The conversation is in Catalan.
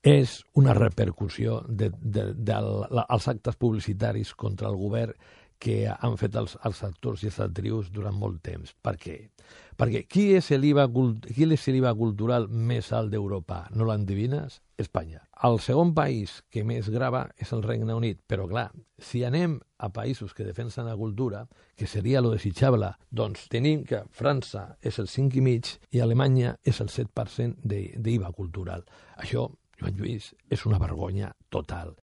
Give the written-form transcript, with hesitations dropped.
és una repercussió dels actes publicitaris contra el govern que han fet els actors i les actrius durant molt temps. Per què? Perquè qui és l'IVA cultural més alt d'Europa? No l'endevines? Espanya. El segon país que més grava és el Regne Unit, però clar, si anem a països que defensen la cultura, que seria lo desitjable, doncs tenim que França és el 5,5% i Alemanya és el 7% d'IVA cultural. Això, Joan Lluís, és una vergonya total.